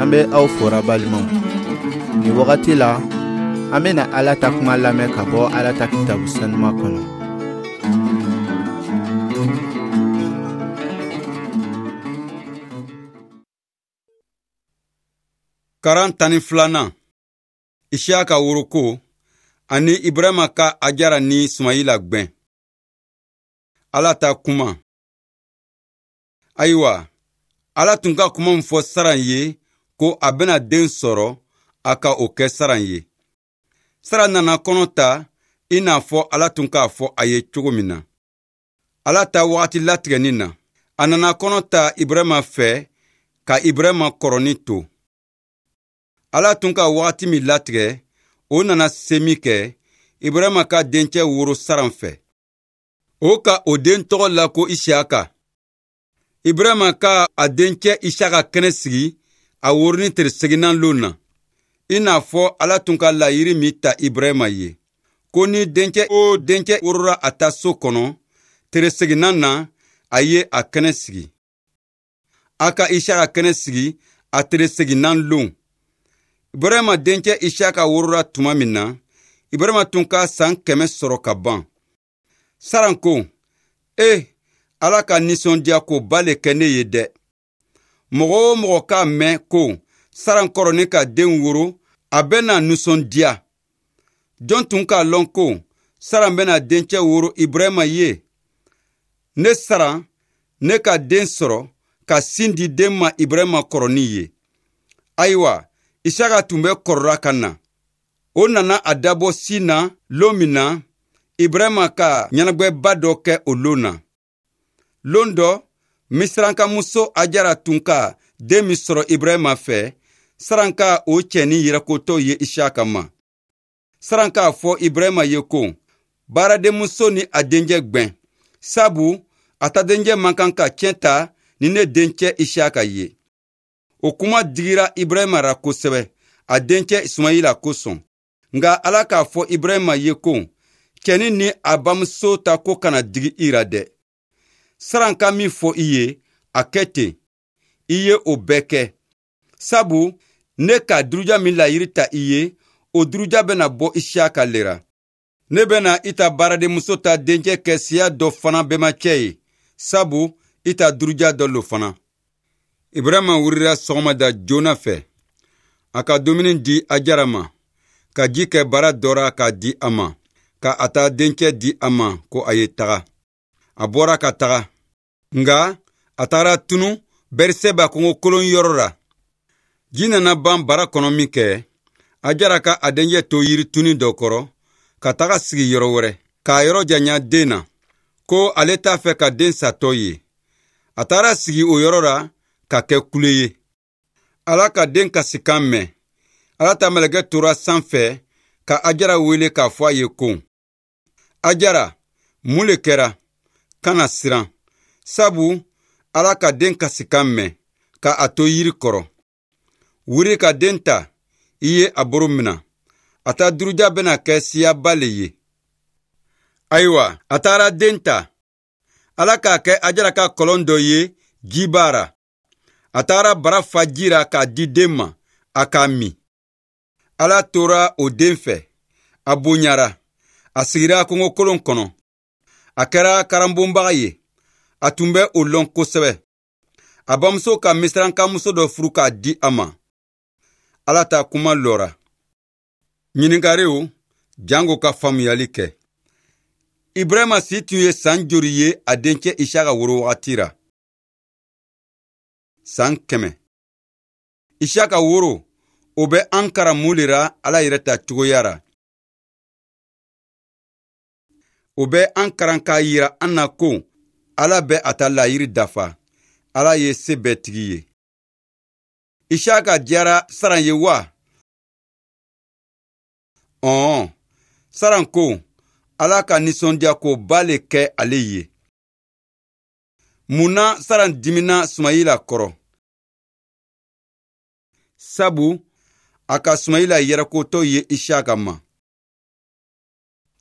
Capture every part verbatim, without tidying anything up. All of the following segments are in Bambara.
An bɛ aw fora balimaw. Nin wagati la, an bɛna Ala ta kuma lamɛn ka bɔ Ala ta kitabu sanuma kɔnɔ. Karan tan ni filanan, Isiyaka woroko ani Ibrahima ka Ajara ni Sumayila gwɛn. Ala ta kuma. Ayiwa, Ala tun ka kuma min fɔ Saran ye ko a bɛna den sɔrɔ, a ka o kɛ Saran ye. Saran nana kɔnɔ ta i n'a fɔ Ala tun k'a fɔ a ye cogo min na. Ala ta wagati latigɛni na, a nana kɔnɔ ta Ibrahima fɛ ka Ibrahima kɔrɔni to. Ala tun ka wagati min latigɛ, o nana se min kɛ, Ibrahima ka dencɛ woro Saran fɛ. O ka o den tɔgɔ la ko Isiyaka. Ibrahima ka a dencɛ Isiyaka kɛnɛ sigi a woroni tere seginnan lon na, i n'a fɔ Ala tun ka layiri min ta Ibrahima ye, ko ni dencɛ o dencɛ worora a ta so kɔnɔ, tere seginnan na, a ye a kɛnɛ sigi. A ka Isiyaka kɛnɛ sigi a tere seginnan lon. Ibrahima dencɛ Isiyaka worora tuma min na, Ibrahima tun ka san kɛmɛ sɔrɔ ka ban. Saran ko, e, Ala ka nisɔndiya ko ba le kɛ ne ye dɛ. Mɔgɔ o mɔgɔ k'a mɛn ko Saran kɔrɔni ka den woro, a bɛna nisɔndiya. Jɔn tun k'a lɔn ko Saran bɛna dencɛ woro Ibrahima ye? Ne Saran, ne ka den sɔrɔ ka sin di den ma Ibrahima kɔrɔni ye. Ayiwa, Isaka tun bɛ kɔrɔla ka na. O nana a dabɔ sin na lon min na, Ibrahima ka ɲɛnagwɛba dɔ kɛ o lon na. Lon dɔ, Misirankamuso Ajara tun ka den min sɔrɔ Ibrahima fɛ, Saran ka o cɛnin yɛrɛkotɔ ye Isaka ma. Saran k'a fɔ Ibrahima ye ko, baaradenmuso ni a dencɛ gwɛn, sabu a ta dencɛ man kan ka tiɲɛ ta ni ne dencɛ Isaka ye. O kuma digira Ibrahima ra kosɛbɛ, a dencɛ Sumayila kosɔn. Nka Ala k'a fɔ Ibrahima ye ko, cɛnin ni a bamuso ta ko kana digi i ra dɛ. Saran ka min fɔ i ye, a kɛ ten. I ye o bɛɛ kɛ. Sabu ne ka duruja min layiri ta i ye, o duruja bɛna bɔ Isiyaka le ra. Ne bɛna i ta baaradenmuso ta dencɛ kɛ siya dɔ fana bɛmacɛ ye, sabu i ta duruja dɔ lo fana. Ibrahima wulila sɔgɔmada joona fɛ, a ka dumuni di Ajara ma, ka ji kɛ bara dɔ ra k'a di a ma, ka a ta dencɛ di a ma ko a ye taga. A bɔra ka taga, nka a tagara tunu Beriseba kungo kolon yɔrɔ la. Ji nana ban bara kɔnɔ min kɛ, Ajara ka a dencɛ to yiri tuni dɔ kɔrɔ, ka taga sigi yɔrɔ wɛrɛ, k'a yɔrɔ janya den na, ko ale t'a fɛ ka den satɔ ye. A taara sigi o yɔrɔ la ka kɛ kule ye. Ala ka den kasikan mɛn. Ala ta mɛlɛkɛ tora sanfɛ ka Ajara wele k'a fɔ a ye ko, Ajara, mun le kɛra? Kana siran, sabu Ala ka den kasikan mɛn ka a to yiri kɔrɔ. Wuri ka den ta, i ye a boro mina. A ta duruja bɛna kɛ siyaba le ye. Ayiwa, a taara den ta. Ala k'a kɛ Ajara ka kɔlɔn dɔ ye jiba ra. A taara bara fa ji ra k'a di den ma, a k'a min. Ala tora o den fɛ, a bonyara, a sigira kungokolon kɔnɔ. A kɛra karanbonbaga ye, a tun bɛ o lɔn kosɛbɛ. A bamuso ka Misirankamuso dɔ furu k'a di a ma. Ala ta kuma lɔra. Ɲininkariw jango ka faamuyali kɛ. Ibrahima si tun ye san joli ye a dencɛ Isaka woro wagati ra? San kɛmɛ. Isaka woro, o bɛ an karan mun le ra Ala yɛrɛ ta cogoya ra? O bɛ an karan k'a yira an na ko Ala bɛ a ta layiri dafa. Ala ye se bɛɛ tigi ye. Isaka diyara Saran ye wa? Ɔn, Saran ko Ala ka nisɔndiya ko ba le kɛ ale ye. Mun na Saran dimina Sumayila kɔrɔ? Sabu a ka Sumayila yɛrɛkotɔ ye Isaka ma.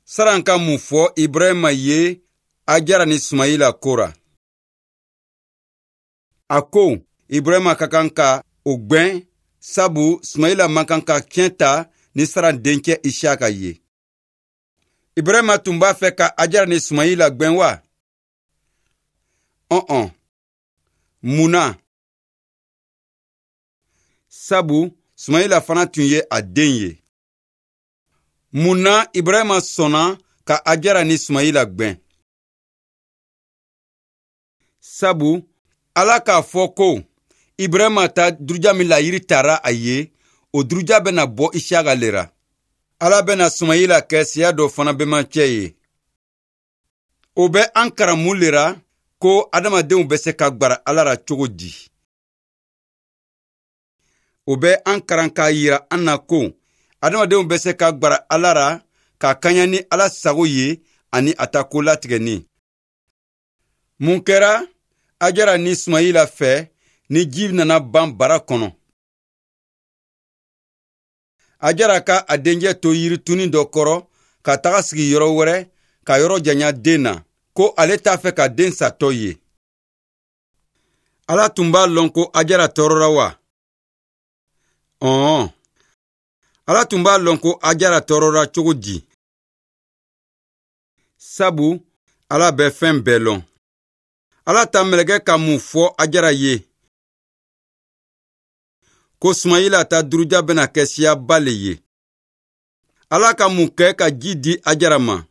Saran ka mun fɔ Ibrahima ye Ajara ni Sumayila ko ra? A ko Ibrahima ka kan ka o gwɛn Sabu Sumayila man kan ka tiɲɛ ta ni Saran dencɛ Isiyaka ye. Ibrahima tun b'a fɛ ka Ajara ni Sumayila gwɛn wa? Ɔn-ɔn. Mun na? Sabu Sumayila fana tun ye a den ye. Mun na Ibrahima sɔnna ka Ajara ni Sumayila gwɛn? Sabu Ala k'a fɔ ko Ibrahima ta duruja min layiri tara a ye, o duruja bɛna bɔ Isiyaka le ra. Ala bɛna Sumayila kɛ siya dɔ fana bɛmancɛ ye. O bɛ an karan mun le ra ko adamadenw bɛ se ka gwara Ala ra cogo di? O bɛ an karan k'a yira an na ko adamadenw bɛ se ka gwara Ala ra ka kaɲa ni Ala sago ye ani a ta ko latigɛni. Mun kɛra Ajara ni Sumayila fɛ ni ji nana ban bara kɔnɔ? Ajara ka a dencɛ to yirituni dɔ kɔrɔ ka taga sigi yɔrɔ wɛrɛ ka yɔrɔ janya den na, ko ale t'a fɛ ka den satɔ ye. Ala tun b'a lɔn ko Ajara tɔɔrɔra wa? Ɔn. Ala tun b'a lɔn ko Ajara tɔɔrɔra cogo di? Sabu Ala bɛ fɛn bɛɛ lɔn. Ala ta mɛlɛkɛ ka mun fɔ Ajara ye? Ko Sumayila ta duruja bɛna kɛ siyaba le ye. Ala ka mun kɛ ka ji di Ajara ma?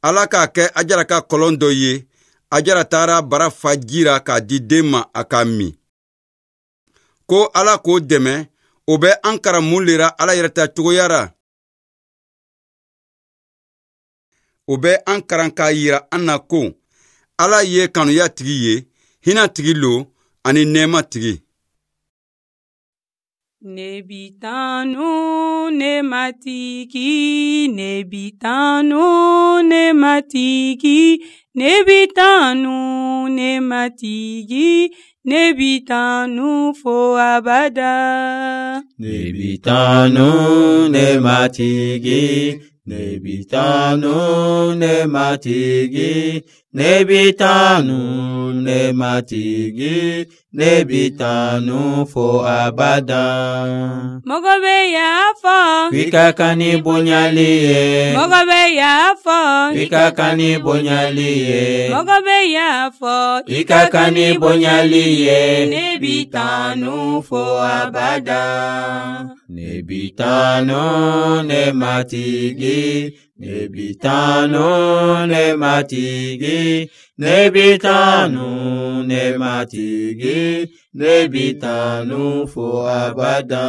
Ala k'a kɛ Ajara ka kɔlɔn dɔ ye. Ajara taara bara fa ji ra k'a di den ma a k'a min. Ko Ala k'o dɛmɛ, o bɛ an karan mun le ra Ala yɛrɛ ta cogoya ra? O bɛ an karan k'a yira an na ko Ala ye kanuya tigi ye, hinɛ tigi lo ani nɛɛma tigi. Ne bi tanu ne matigi, ne bi tanu ne matigi, ne bi tanu ne matigi, ne bi tanu fo abada. Ne bi tanu ne matigi, ne bi tanu ne matigi, ne bi tanu ne matigi, ne bi tanu fo abada. Mɔgɔ bɛ y'a fɔ. K'i ka kan ni bonyali ye. Mɔgɔ bɛ y'a fɔ. K'i ka kan ni bonyali ye. Mɔgɔ bɛ y'a fɔ. K'i ka kan ni bonyali ye. Ne bi tanu fo abada. Ne bi tanu ne matigi, ne bi tanu ne matigi, ne bi tanu ne matigi, ne bi tanu fo abada.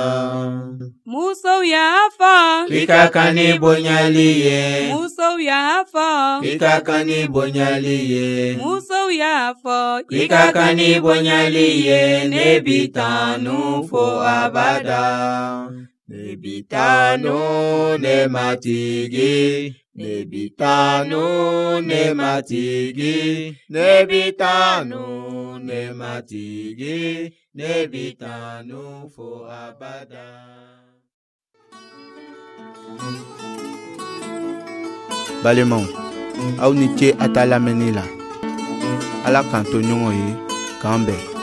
Musow y'a fɔ. K'i ka kan ni bonyali ye. Musow y'a fɔ. K'i ka kan ni bonyali ye. Musow y'a fɔ. K'i ka kan ni bonyali ye. Ne bi tanu fo abada. Ne bi tanu ne matigi, ne bi tanu ne matigi, ne bi tanu ne matigi, ne bi tanu fo abada. Balimaw, aw ni ce a ta lamɛnni la. Ala k'an to ɲɔgɔn ye, k'an bɛn.